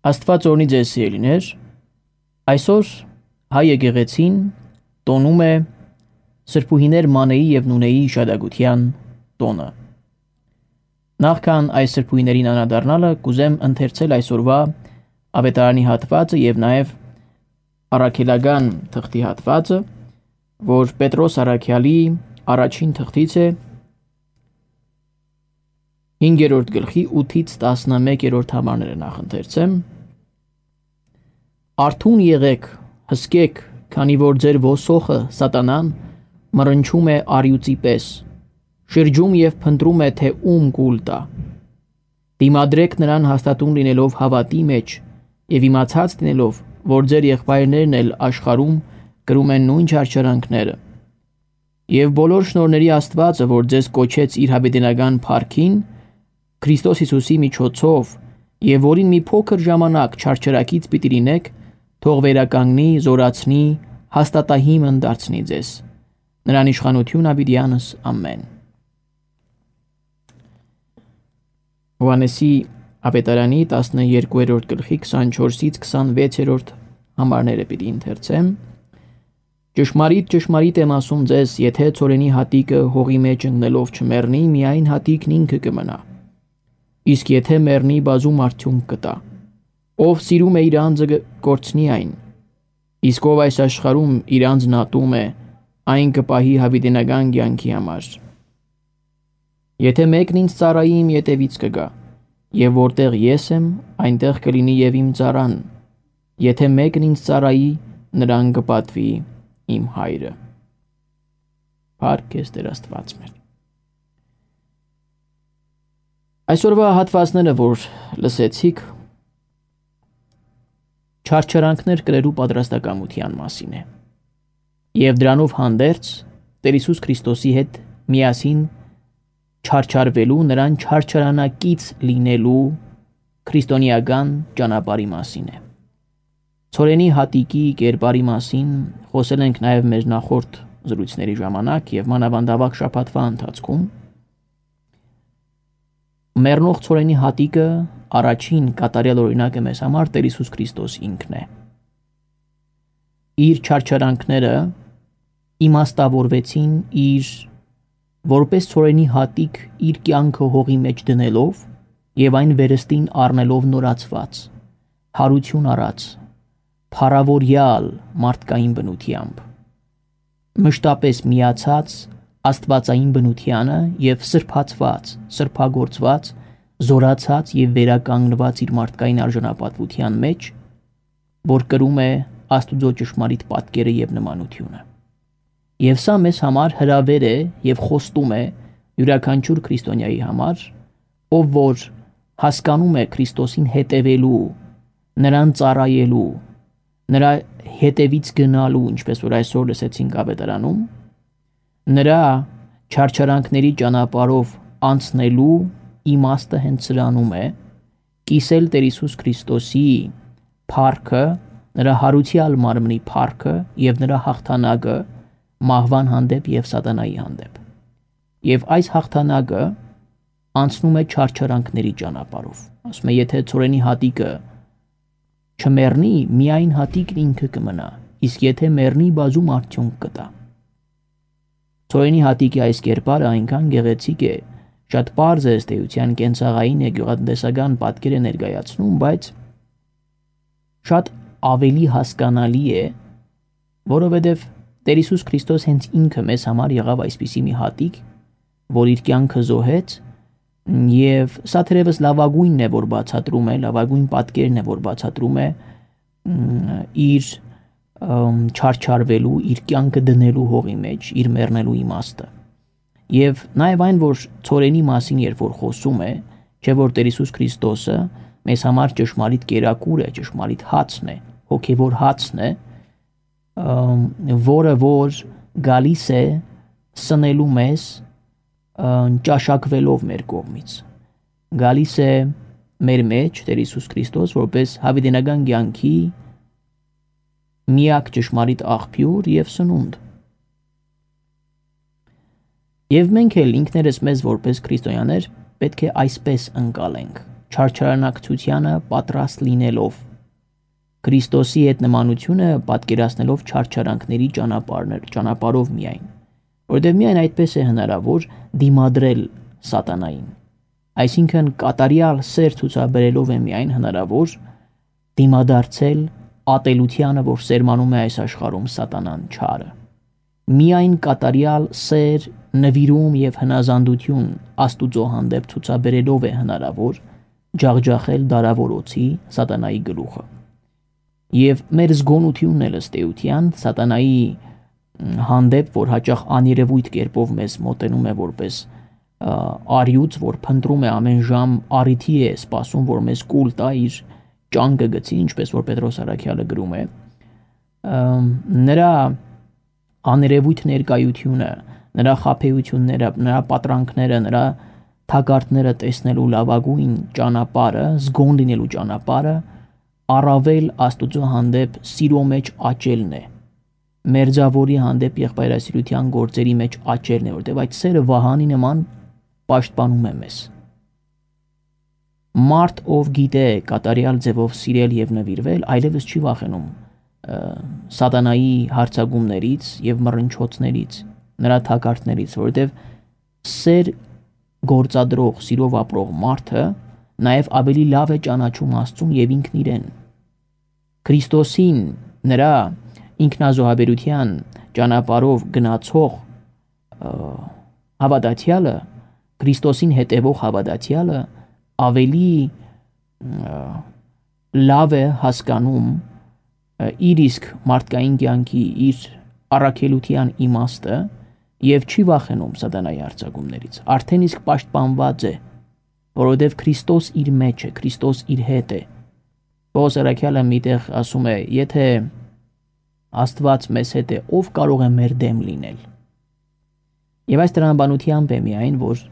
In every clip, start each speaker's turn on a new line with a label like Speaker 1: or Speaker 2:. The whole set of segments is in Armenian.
Speaker 1: Աստված օրհնի ձեզ սիրելիներ, այսօր հայ եկեղեցին տոնում է սրբուհիներ Մանեի և Նունեի հիշատակության տոնը։ Նախքան այս սրբուհիներին անդրադառնալը կուզեմ ընթերցել այսօրվա ավետարանի հատվածը և նաև առաքելական թղթի հատվածը, որ Պետրոս առաքյալի առաջին թղթից է 5-րդ գլխի 8-ից 11-րդ համարները նախընթերցեմ։ Արթուն եղեք, հսկեք, քանի որ ձեր ոսոխը սատանան մռնչում է արյուծի պես, շրջում և փնտրում է, թե ում կուլ տա։ Դիմադրեք նրան հաստատուն լինելով հավատի մեջ և իմացած լինելով, որ ձեր եղբայրներն էլ աշխարհում կրում են նույն չարչարանքները։ Եվ բոլոր շնորհների Աստվածը, որ ձեզ կոչեց իր հավիտենական փառքին, Քրիստոս Հիսուսի միջոցով, եւ որին մի փոքր ժամանակ չարչարակից պիտի լինեք, թող վերականգնի, զորացնի, հաստատահիմն դարձնի ձեզ։ Նրան իշխանություն ավիդյանս ամեն։ Հովհաննեսի ավետարանի 12-րդ գլխի 24-ից 26-րդ համարները պիտի ընթերցեմ։ Ճշմարիտ, ճշմարիտ եմ ասում ձեզ, եթե ցորենի հատիկը հողի մեջ ընկնելով չմեռնի, միայն հատիկն ինքը կմնա։ Իսկ եթե մեռնի, բազում արդյունք կտա։ Ով սիրում է իր անձը կորցնի այն, իսկ ով այս աշխարհում իր անձն ատում է, այն կպահի հավիտենական կյանքի համար։ Եթե մեկն ինձ ծառայի, իմ ետևից կգա, եւ որտեղ ես եմ, այնտեղ կլինի եւ իմ ծառան։ Եթե մեկն ինձ ծառայի, նրան կպատվի իմ հայրը։ Փառք քեզ Տեր Աստված մեր։ Այսօրվա հատվածները, որ լսեցիք, չարչարանքներ կրելու պատրաստակամության մասին է։ Եվ դրանով հանդերձ Տեր Հիսուս Քրիստոսի հետ միասին չարչարվելու, նրան չարչարանակից լինելու քրիստոնեական ճանապարհի մասին է։ Ցորենի հատիկի կերպարի մասին խոսել ենք նաև մեր նախորդ զրույցների ժամանակ եւ մանավանդավակ շաբաթվա ընթացքում։ Մեռնող ցորենի հատիկը առաջին կատարյալ օրինակը մեզ համար Տեր Հիսուս Քրիստոս ինքն է։ Իր չարչարանքները իմաստավորվեցին իր որպես ցորենի հատիկ իր կյանքը հողի մեջ դնելով եւ այն վերստին առնելով նորացված, հարություն առած, փառավորյալ մարդկային բնությամբ, մշտապես միացած աստվածային բնությանը եւ սրբացված, սրբագործված, զորացած եւ վերականգնված իր մարդկային արժանապատվության մեջ, որ կրում է Աստուծո ճշմարիտ պատկերը եւ նմանությունը։ Եվ սա մեզ համար հրավեր է եւ խոստում է յուրաքանչյուր քրիստոնյայի համար, ով որ հասկանում է Քրիստոսին հետևելու, նրան ծառայելու, նրա հետևից գնալու, ինչպես որ այսօր լսեցինք ավետարանում, նրա չարչարանքների ճանապարհով անցնելու իմաստը հենց սրանում է կիսել Տեր Հիսուս Քրիստոսի փառքը, նրա հարուցյալ մարմնի փառքը եւ նրա հաղթանակը մահվան հանդեպ եւ սատանայի հանդեպ։ Եվ այս հաղթանակը անցնում է չարչարանքների ճանապարհով։ Ասում է, եթե ցորենի հատիկը չմեռնի, միայն հատիկն ինքը կմնա, իսկ եթե մեռնի, բազում արդյունք կտա։ Ցորենի հատիկի այս կերպարը այնքան գեղեցիկ է, շատ պարզ է ըստ էության կենցաղային է գյուղատնտեսական պատկեր է ներկայացնում, բայց շատ ավելի հասկանալի է, որովհետև Տեր Հիսուս Քրիստոս հենց ինքը մեզ համար եղավ այսպիսի մի հատիկ, որ իր կյանքը զոհեց, եւ սա թերևս լավագույնն է, որ բացատրում է, լավագույն պատկերն է, որ բացատրում է իր չարչարվելու, իր կյանքը դնելու հողի մեջ, իր մեռնելու իմաստը։ Եվ նաև այն, որ ցորենի մասին երբ որ խոսում է, չէ որ Տեր Հիսուս Քրիստոսը մեզ համար ճշմարիտ կերակուր է, ճշմարիտ հացն է, հոգևոր հացն է, որը որ գալիս է սնելու մեզ ճաշակվելով մեր կողմից։ Գալիս է մեր մեջ Տեր Հիսուս Քրիստոս որպես հավիտենական կյանքի միակ ճշմարիտ աղբյուր եւ սնունդ։ Եվ մենք էլ ինքներս մեզ որպես քրիստոնյաներ պետք է այսպես ընկալենք, չարչարանակցությանը պատրաստ լինելով, Քրիստոսի հետ նմանությունը պատկերացնելով չարչարանքների ճանապարհով միայն, որտեղ միայն այդպես է հնարավոր դիմադրել սատանային, այսինքն կատարյալ սեր ցուցաբերելով է միայն հնարավոր դիմադարձել ատելությանը, որ սերմանում է այս աշխարհում սատանան չարը, միայն կատարյալ սեր, նվիրում եւ հնազանդություն Աստուծո հանդեպ ցուցաբերելով է հնարավոր ջախջախել դարավորոցի սատանայի գլուխը։ Եվ մեր զգոնությունն էլ ըստ էության սատանայի հանդեպ, որ հաճախ աներևույթ կերպով մեզ մոտենում է որպես արյուծ, որ փնտրում է ամեն ժամ առիթի է սպասում, որ մեզ կուլ տա իր ճանկը գցի, ինչպես որ Պետրոս Արաքյալը գրում է, նրա աներևույթ ներկայությունը, նրա խաբեությունները, նրա պատրանքները, նրա թակարդները տեսնելու լավագույն ճանապարհը, զգոն լինելու ճանապարհը առավել Աստուծո հանդեպ սիրո մեջ աճելն է, մերձավորի հանդեպ եղբայրասիրության գործերի մեջ աճելն է, որտեղ այդ սերը վահանի նման պաշտպանում է մեզ։ Մարդ, ով գիտե կատարյալ ձևով սիրել եւ նվիրվել, այլևս չի վախենում սատանայի հարցակումներից եւ մռնչոցներից, նրա թակարդներից, որտեղ սեր գործադրող, սիրով ապրող մարդը նաեւ ավելի լավ է ճանաչում Աստծուն եւ ինքն իրեն։ Քրիստոսին, նրա ինքնազոհաբերության ճանապարհով գնացող հավատացյալը, Քրիստոսին հետևող հավատացյալը ավելի լավ է հասկանում իր իսկ մարդկային կյանքի, իր առաքելության իմաստը եւ չի վախենում սատանայի արձակումներից։ Արդեն իսկ պաշտպանված է, որովհետեւ Քրիստոս իր մեջ է, Քրիստոս իր հետ է։ Պողոս Արաքյալը միտեղ ասում է, եթե Աստված մեզ հետ է, ով կարող է մեր դեմ լինել։ Եվ այս տրամաբանությամբ է միայն, որ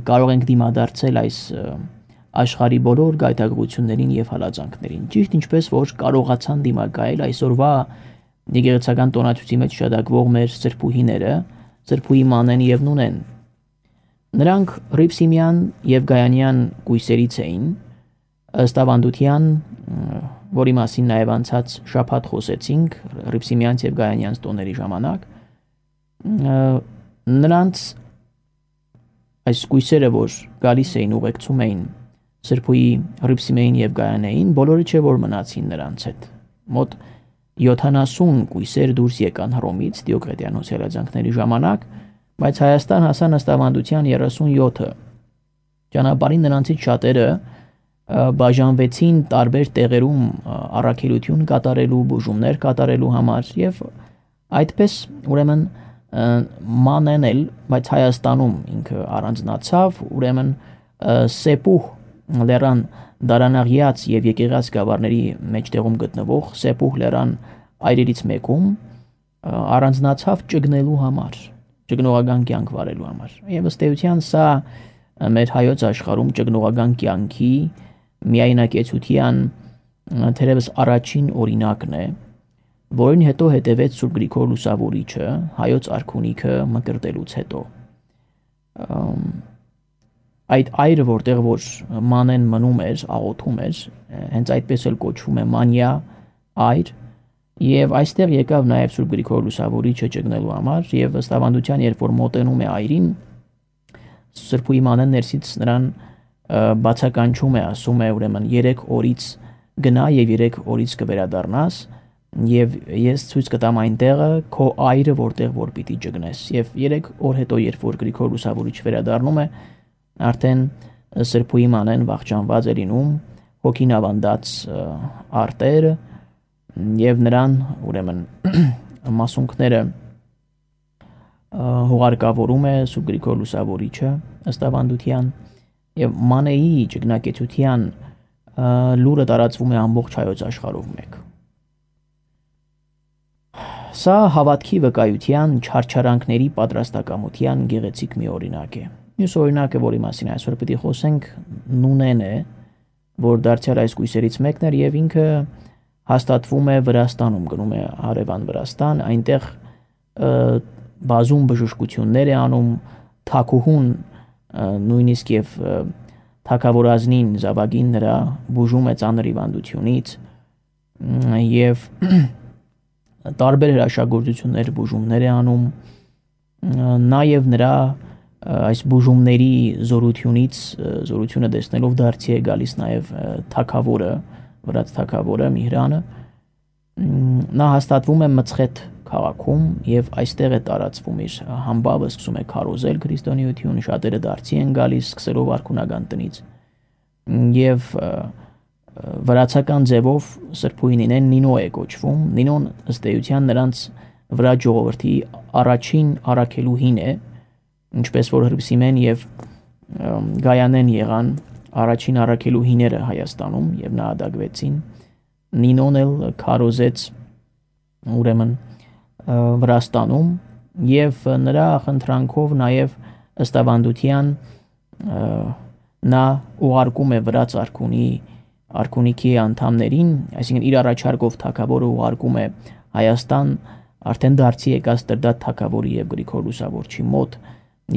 Speaker 1: կարող ենք դիմադարձել այս աշխարհի բոլոր գայթակղություններին եւ հալածանքներին, ճիշտ ինչպես որ կարողացան դիմակայել այսօրվա եկեղեցական տոնացույցի մեջ շարունակվող մեր սրբուհիները, սրբուհի Մանեն եւ Նունեն։ Նրանք Ռիփսիմյան եւ Գայանյան կույսերից էին, ըստ ավանդության, որի մասին նաեւ անցած շաբաթ խոսեցինք Ռիփսիմյանց եւ Գայանյանց տոների ժամանակ, նրանց այս կույսերը, որ գալիս էին ուղեկցում էին սրբուհի Ռիփսիմեին եւ Գայանեին, բոլորը չէ որ մնացին նրանց հետ։ Մոտ 70 կույսեր դուրս եկան Հռոմից Դիոկլետիանոսի հրաձանքների ժամանակ, բայց Հայաստան հասան ըստ ավանդության 37-ը։ Ճանապարհին նրանցից շատերը բաժանվեցին տարբեր տեղերում առաքելություն կատարելու, բուժումներ կատարելու համար եւ այդպես ուրեմն Մանեն էլ, բայց Հայաստանում ինքը առանձնացավ, ուրեմն Սեպուհ լեռան Դարանաղյաց եւ Եկեղած գավառների մեջտեղում գտնվող Սեպուհ լեռան այրերից մեկում առանձնացավ ճգնելու համար, ճգնողական կյանք վարելու համար։ Եվ ըստ էության սա մեր հայոց աշխարհում ճգնողական կյանքի միայնակեցության թերևս առաջին օրինակն է, որին հետո հետևեց Սուրբ Գրիգոր Լուսավորիչը, հայոց արքունիքը մկրտելուց հետո։ Այդ այրը, որտեղ որ Մանեն մնում էր, աղոթում էր, հենց այդպես էլ կոչվում է Մանյա այր, եւ այստեղ եկավ նաեւ Սուրբ Գրիգոր Լուսավորիչը ճգնելու համար, եւ ըստ ավանդության, երբ որ մոտենում է այրին, Սրբուհի Մանեն ներսից նրան բացականչում է, ասում է ուրեմն 3 օրից գնա եւ 3 օրից կվերադառնաս, եւ ես ցույց կտամ այն տեղը քո այրը, որտեղ որ պիտի ճգնես։ Եվ 3 օր հետո, երբ որ Գրիգոր Լուսավորիչը վերադառնում է, արդեն Սրբուհի Մանեն վախճանված է լինում, հոգին ավանդած արտերը եւ նրան ուրեմն մասունքները հուղարկավորում է Սուրբ Գրիգոր Լուսավորիչը ըստ ավանդության եւ Մանեի ճգնակեցության լուրը տարածվում է ամբողջ հայոց աշխարհով մեկ։ Սա հավատքի վկայության չարչարանքների պատրաստակամության գեղեցիկ մի օրինակ է։ Մյուս օրինակը, որի մասին այսօր պիտի խոսենք, Նունեն է, որ դարձյալ այս կույսերից մեկն էր եւ ինքը հաստատվում է Վրաստանում, գնում է հարևան Վրաստան, այնտեղ բազում բժշկություններ է անում, թակուհուն նույնիսկ եւ թագավորազնին զավակին նրա բուժում է ծանր հիվանդությունից եւ տարբեր հրաշագործություններ բուժումներ է անում, նաեւ նրա այս բուժումների զորությունը տեսնելով դարձի է գալիս նաեւ թագավորը, վրաց թագավորը Միհրանը, նա հաստատվում է Մցխեթ քաղաքում եւ այստեղ է տարածվում իր համբավը, սկսում է քարոզել քրիստոնեություն, շատերը դարձի են գալիս սկսելով արքունական տնից եւ վրացական ձևով սրբուհին Նինո է կոչվում։ Նինոն ըստ էության նրանց վրա ժողովրդի առաջին առաքելուհին է, ինչպես որ Հռիփսիմեն եւ Գայանեն եղան առաջին առաքելուհիները Հայաստանում եւ նահատակվեցին։ Նինոն էլ քարոզեց ուրեմն Վրաստանում եւ նրա խնդրանքով նաեւ ըստ ավանդության նա ուղարկում է վրաց արքունիքի անդամներին, այսինքն իր առաջարկով թագավորը ուղարկում է Հայաստան արդեն դարձի եկած Տրդատ թագավորի եւ Գրիգոր Լուսավորչի մոտ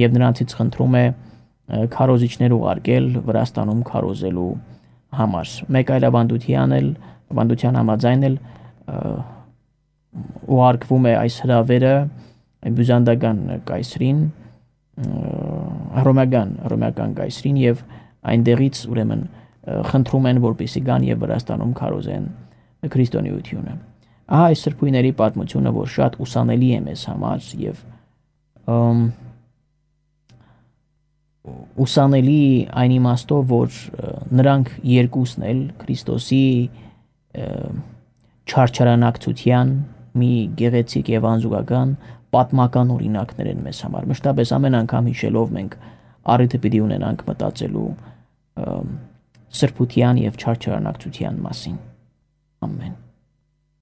Speaker 1: եւ նրանցից խնդրում է քարոզիչներ ուղարկել Վրաստանում քարոզելու համար։ Մեկ այլ ավանդության համաձայն էլ ուղարկվում է այս հրավերը բյուզանդական կայսրին, հռոմեական կայսրին եւ այնտեղից ուրեմն խնդրում են որպեսզի գան եւ Վրաստանում քարոզեն քրիստոնեությունը։ Ահա այս սրբույների պատմությունը, որ շատ ուսանելի է մեզ համար եւ ուսանելի այն իմաստով, որ նրանք երկուսն էլ Քրիստոսի չարչարանակցության մի գեղեցիկ եւ անզուգական պատմական օրինակներ են մեզ համար։ Մշտապես ամեն անգամ հիշելով մենք առիթը պիտի ունենանք մտածելու սրբության եւ չարչարանակցության մասին։ Ամեն։